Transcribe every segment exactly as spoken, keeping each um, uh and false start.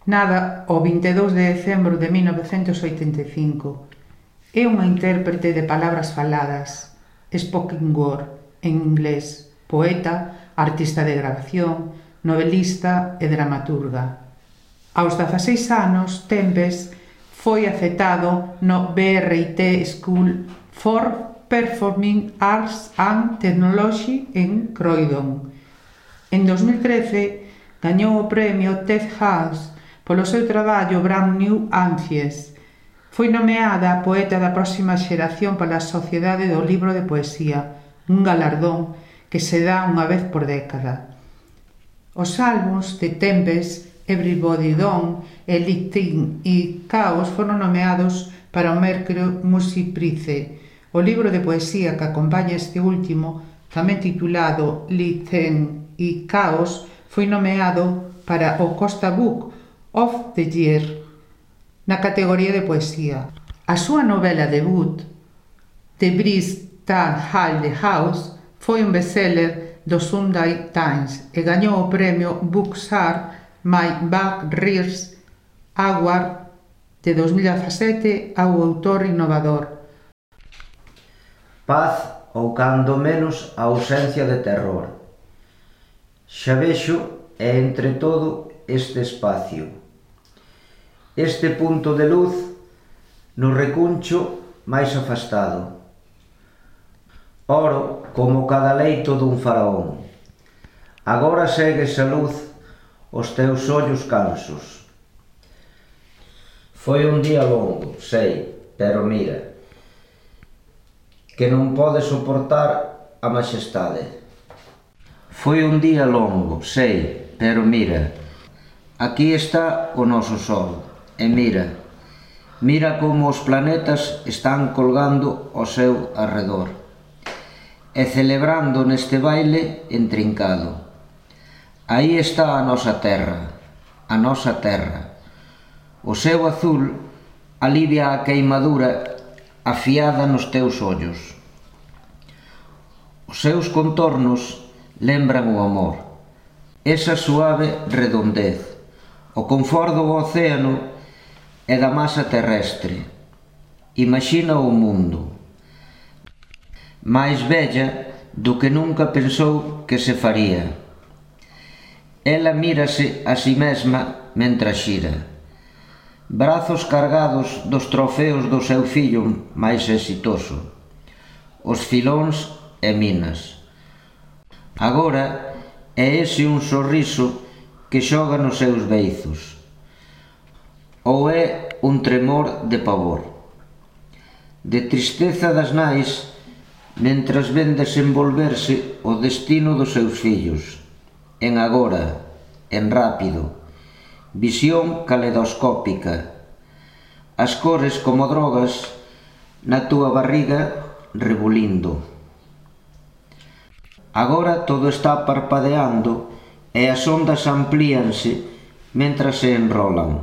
Nada o vinte e dous de decembro de mil novecentos oitenta e cinco. É unha intérprete de palabras faladas, spoken word, en inglés, poeta, artista de grabación, novelista e dramaturga. Aos dezaseis anos, Tempest foi aceptado no B R T School for Performing Arts and Technology en Croydon. En dos mil trece, gañou o premio Ted House polo seu traballo Brand New Anties. Foi nomeada poeta da próxima xeración pola Sociedade do Libro de Poesía, un galardón que se dá unha vez por década. Os álbums de Tempest, Everybody Done, Elite e Chaos foron nomeados para o Mercury Music Prize. O libro de poesía que acompaña este último, tamén titulado Elite e Chaos, foi nomeado para o Costa Book of the Year na categoría de poesía. A súa novela debut, The Breeze That Held the House, foi un bestseller do Sunday Times e gañou o premio Bookstar My Back Rears Award de dos mil dezasete ao autor innovador. Paz ou cando menos a ausencia de terror. Xa vexo e entre todo este espacio, este punto de luz no recuncho máis afastado. Oro como cada leito dun faraón. Agora segue esa luz os teus ollos cansos. Foi un día longo, sei, pero mira, que non pode soportar a maxestade. Foi un día longo, sei, pero mira, aquí está o noso sol. E mira, mira como os planetas están colgando ao seu arredor e celebrando neste baile entrincado. Aí está a nosa terra, a nosa terra. O seu azul alivia a queimadura afiada nos teus ollos. Os seus contornos lembran o amor, esa suave redondez, o confort do océano e da masa terrestre. Imaxina o mundo, máis bella do que nunca pensou que se faría. Ela mírase a si mesma mentre xira, brazos cargados dos trofeos do seu fillo máis exitoso, os filóns e minas. Agora é ese un sorriso que xoga nos seus beizos, ou é un tremor de pavor, de tristeza das nais mentras ven desenvolverse o destino dos seus fillos, en agora, en rápido, visión caleidoscópica, as cores como drogas na túa barriga rebulindo. Agora todo está parpadeando e as ondas amplíanse mentras se enrolan.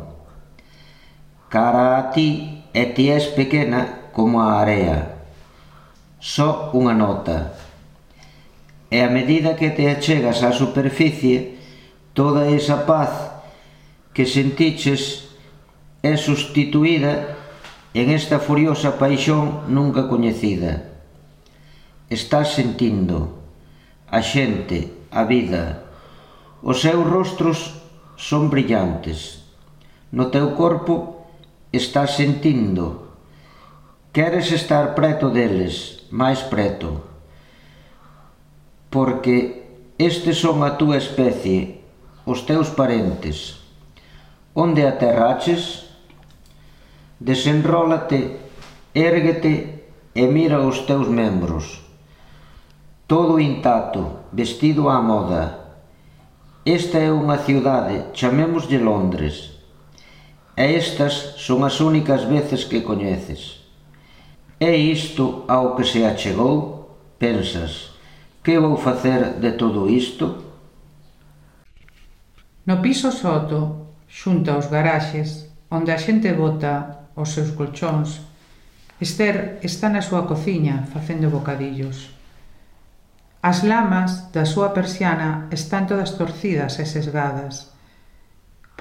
Cara a ti e ti és pequena como a area, só unha nota. E a medida que te achegas á superficie, toda esa paz que sentiches é sustituída en esta furiosa paixón nunca coñecida. Estás sentindo a xente, a vida. Os seus rostros son brillantes. No teu corpo estás sentindo. Queres estar preto deles, máis preto. Porque estes son a túa especie, os teus parentes. Onde aterraches? Desenrólate, érguete e mira os teus membros. Todo intacto, vestido á moda. Esta é unha ciudade, chamémoslle Londres. E estas son as únicas veces que coñeces. É isto ao que se achegou? Pensas, que vou facer de todo isto? No piso soto, xunto aos garaxes, onde a xente bota os seus colchóns, Esther está na súa cociña facendo bocadillos. As lamas da súa persiana están todas torcidas e sesgadas.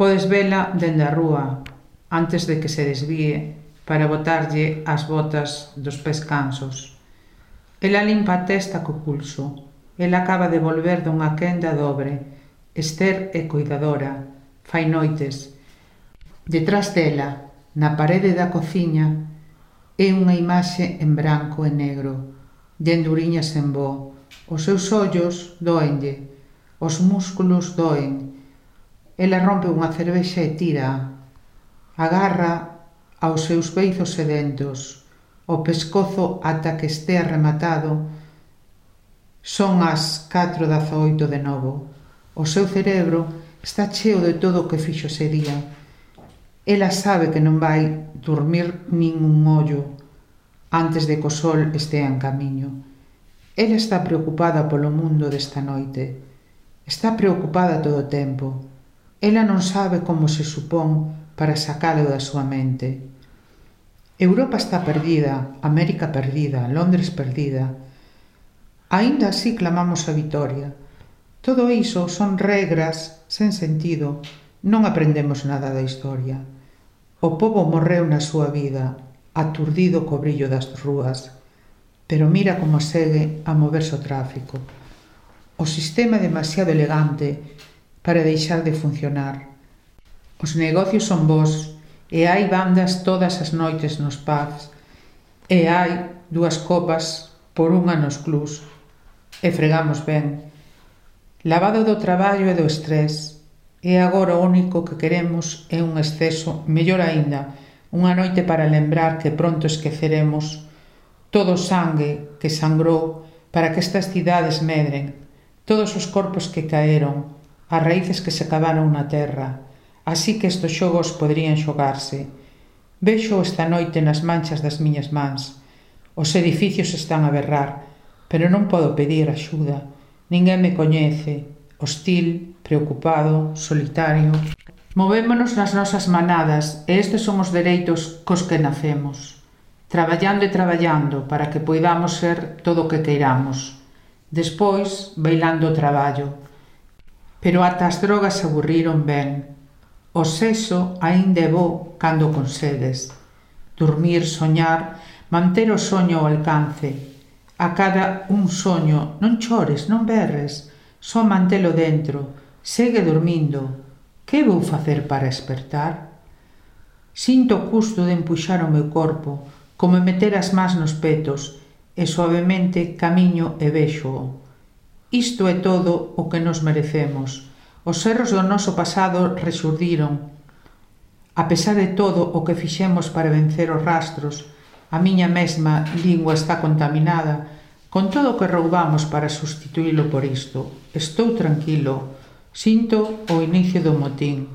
Podes vela dende a rúa, antes de que se desvíe para botarlle as botas dos pés cansos. Ela limpa a testa co pulso. Ela acaba de volver dunha quenda dobre. Ester é cuidadora. Fai noites. Detrás dela, na parede da cociña, é unha imaxe en branco e negro, de enduriñas en bo. Os seus ollos doenlle, os músculos doen. Ela rompe unha cervexa e tira. Agarra aos seus beizos sedentos, o pescozo ata que estea rematado. Son as catro dezaoito de novo. O seu cerebro está cheo de todo o que fixo ese día. Ela sabe que non vai dormir nin un ollo antes de que o sol estea en camiño. Ela está preocupada polo mundo desta noite. Está preocupada todo o tempo. Ela non sabe como se supón para sacalo da súa mente. Europa está perdida, América perdida, Londres perdida. Aínda así clamamos a vitoria. Todo iso son regras sen sentido. Non aprendemos nada da historia. O pobo morreu na súa vida, aturdido co brillo das rúas. Pero mira como segue a moverse o tráfico. O sistema é demasiado elegante para deixar de funcionar. Os negocios son bons e hai bandas todas as noites nos pubs e hai dúas copas por unha nos clubs e fregamos ben. Lavado do traballo e do estrés, e agora o único que queremos é un exceso, mellor aínda, unha noite para lembrar que pronto esqueceremos todo o sangue que sangrou para que estas cidades medren, todos os corpos que caeron, as raíces que se cavaron na terra. Así que estes xogos poderían xogarse. Vexo esta noite nas manchas das miñas mans. Os edificios están a berrar, pero non podo pedir axuda. Ninguén me coñece. Hostil, preocupado, solitario. Movémonos nas nosas manadas e estes son os dereitos cos que nacemos. Traballando e traballando para que poidamos ser todo o que queiramos. Despois, bailando o traballo. Pero ata as drogas se aburriron ben. O sexo aínda é bo cando consegues. Dormir, soñar, manter o soño ao alcance. A cada un soño, non chores, non berres, só mantelo dentro, segue dormindo. Que vou facer para espertar? Sinto o custo de empuxar o meu corpo, como meter as mans nos petos, e suavemente camiño e véxoo. Isto é todo o que nos merecemos. Os erros do noso pasado resurdiron. A pesar de todo o que fixemos para vencer os rastros, a miña mesma lingua está contaminada con todo o que roubamos para sustituílo por isto. Estou tranquilo. Sinto o inicio do motín.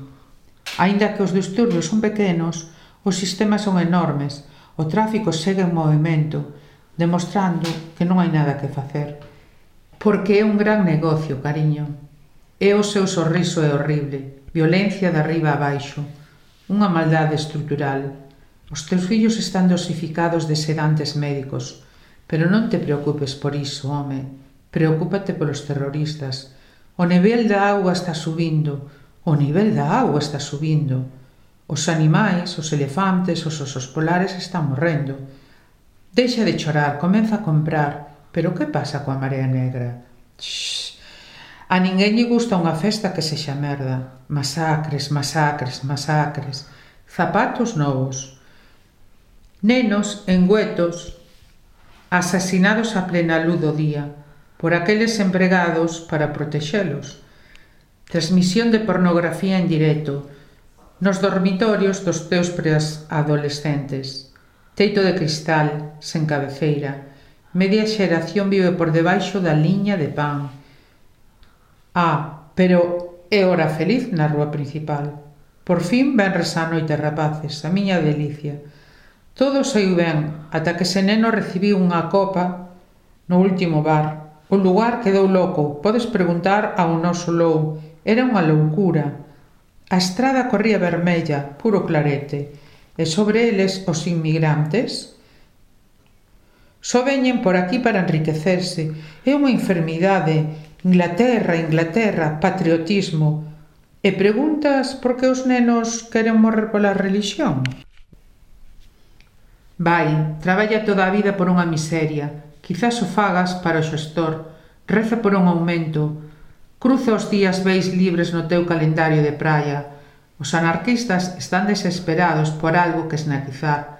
Aínda que os disturbios son pequenos, os sistemas son enormes. O tráfico segue en movimento, demostrando que non hai nada que facer. Porque é un gran negocio, cariño. E o seu sorriso é horrible, violencia de arriba a baixo, unha maldade estrutural. Os teus fillos están dosificados de sedantes médicos, pero non te preocupes por iso, home. Preocúpate polos terroristas. O nivel da auga está subindo, o nivel da auga está subindo. Os animais, os elefantes, os osos polares están morrendo. Deixa de chorar, comeza a comprar. Pero que pasa coa marea negra? Shhh. A ninguén lle gusta unha festa que sexa merda. Masacres, masacres, masacres. Zapatos novos. Nenos engüetos, asasinados a plena luz do día, por aqueles empregados para protexelos. Transmisión de pornografía en directo, nos dormitorios dos teus preadolescentes. Teito de cristal, sen cabeceira. Media xeración vive por debaixo da liña de pan. Ah, pero é hora feliz na rúa principal. Por fin venres á noite, rapaces, a miña delicia. Todo saiu ben, ata que ese neno recibiu unha copa no último bar. O lugar quedou loco, podes preguntar ao noso Lou. Era unha loucura. A estrada corría vermella, puro clarete, e sobre eles os inmigrantes. Só veñen por aquí para enriquecerse. É unha enfermidade. Inglaterra, Inglaterra, patriotismo. E preguntas por que os nenos queren morrer pola relixión? Vai, traballa toda a vida por unha miseria, quizás o fagas para o xestor, reza por un aumento, cruza os días veis libres no teu calendario de praia. Os anarquistas están desesperados por algo que esnaquizar.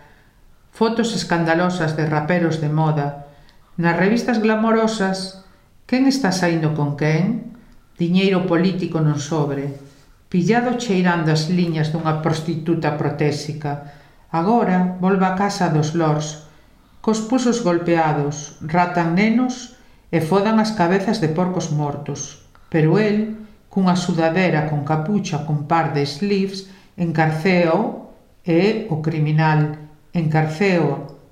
Fotos escandalosas de raperos de moda. Nas revistas glamorosas, quen está saindo con quen? Diñeiro político non sobre. Pillado cheirando as liñas dunha prostituta protésica. Agora volve a casa dos lords, cos pulsos golpeados, ratan nenos e fodan as cabezas de porcos mortos. Pero el, cunha sudadera con capucha con par de sleeves, encarcéao e o criminal, encarcéao.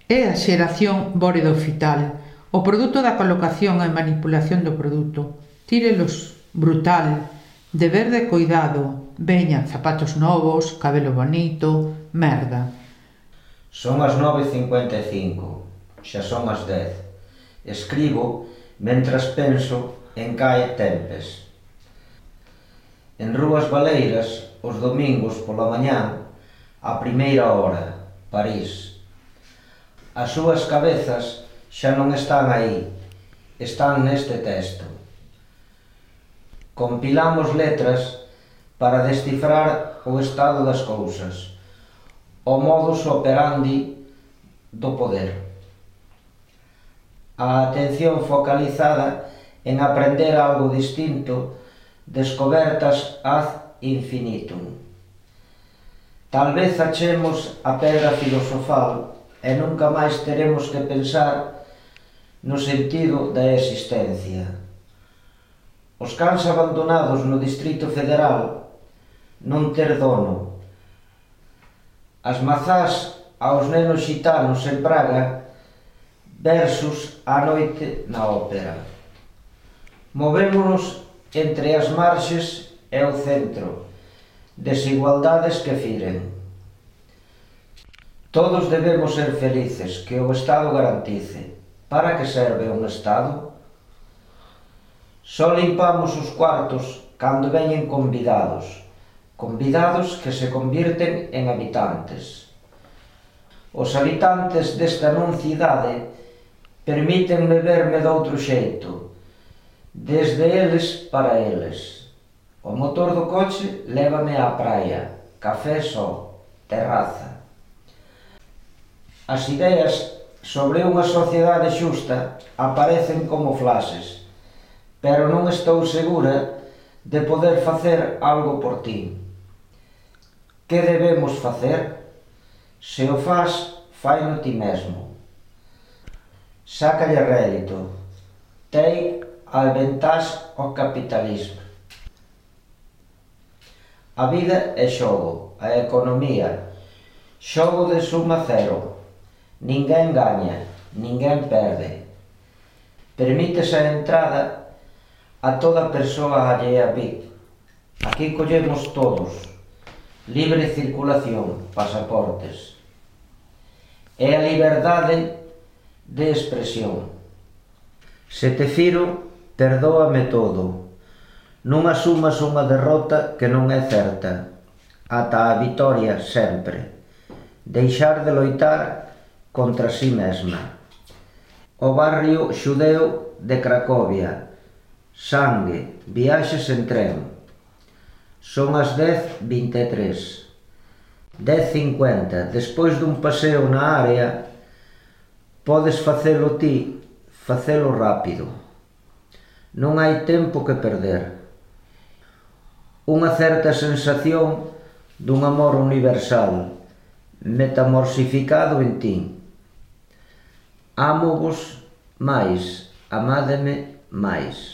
É a xeración bóredo-fital, o produto da colocación e manipulación do produto. Tírelos, brutal, deber de cuidado, veñan zapatos novos, cabelo bonito, merda. Son as nove e cincuenta e cinco, xa son as dez. Escribo mentras penso en Cae Tempest. En Rúas Baleiras, os domingos pola mañán, a primeira hora, París. As súas cabezas xa non están aí, están neste texto. Compilamos letras para descifrar o estado das cousas, o modus operandi do poder. A atención focalizada en aprender algo distinto, descobertas ad infinitum. Tal vez achemos a pedra filosofal e nunca máis teremos que pensar no sentido da existencia. Os cans abandonados no Distrito Federal, non ter dono. As mazás aos nenos xitanos en Praga versus a noite na ópera. Movémonos entre as marxes e o centro, desigualdades que firen. Todos debemos ser felices, que o Estado garantice. Para que serve un Estado? Só limpamos os cuartos cando veñen convidados, convidados que se convirten en habitantes. Os habitantes desta non cidade permítenme verme doutro xeito, desde eles para eles. O motor do coche lévame á praia, café só, terraza. As ideas sobre unha sociedade xusta aparecen como flashes, pero non estou segura de poder facer algo por ti. Que debemos facer? Se o fas, faino ti mesmo. Sácalle rédito. Take advantage ao capitalismo. A vida é xogo, a economía. Xogo de suma cero. Ninguén gaña, ninguén perde. Permítese a entrada a toda persoa allea a V I C. Aquí collemos todos. Libre circulación, pasaportes. É a liberdade de expresión. Se te firo, perdóame todo. Non asumas unha derrota que non é certa. Ata a vitoria sempre. Deixar de loitar contra si mesma. O barrio xudeu de Cracovia. Sangue, viaxes en tren. Son as dez vinte e tres. dez cincuenta. Despois dun paseo na área, podes facelo ti, facelo rápido. Non hai tempo que perder. Unha certa sensación dun amor universal, metamorsificado en ti. Amo-vos máis, amádeme máis.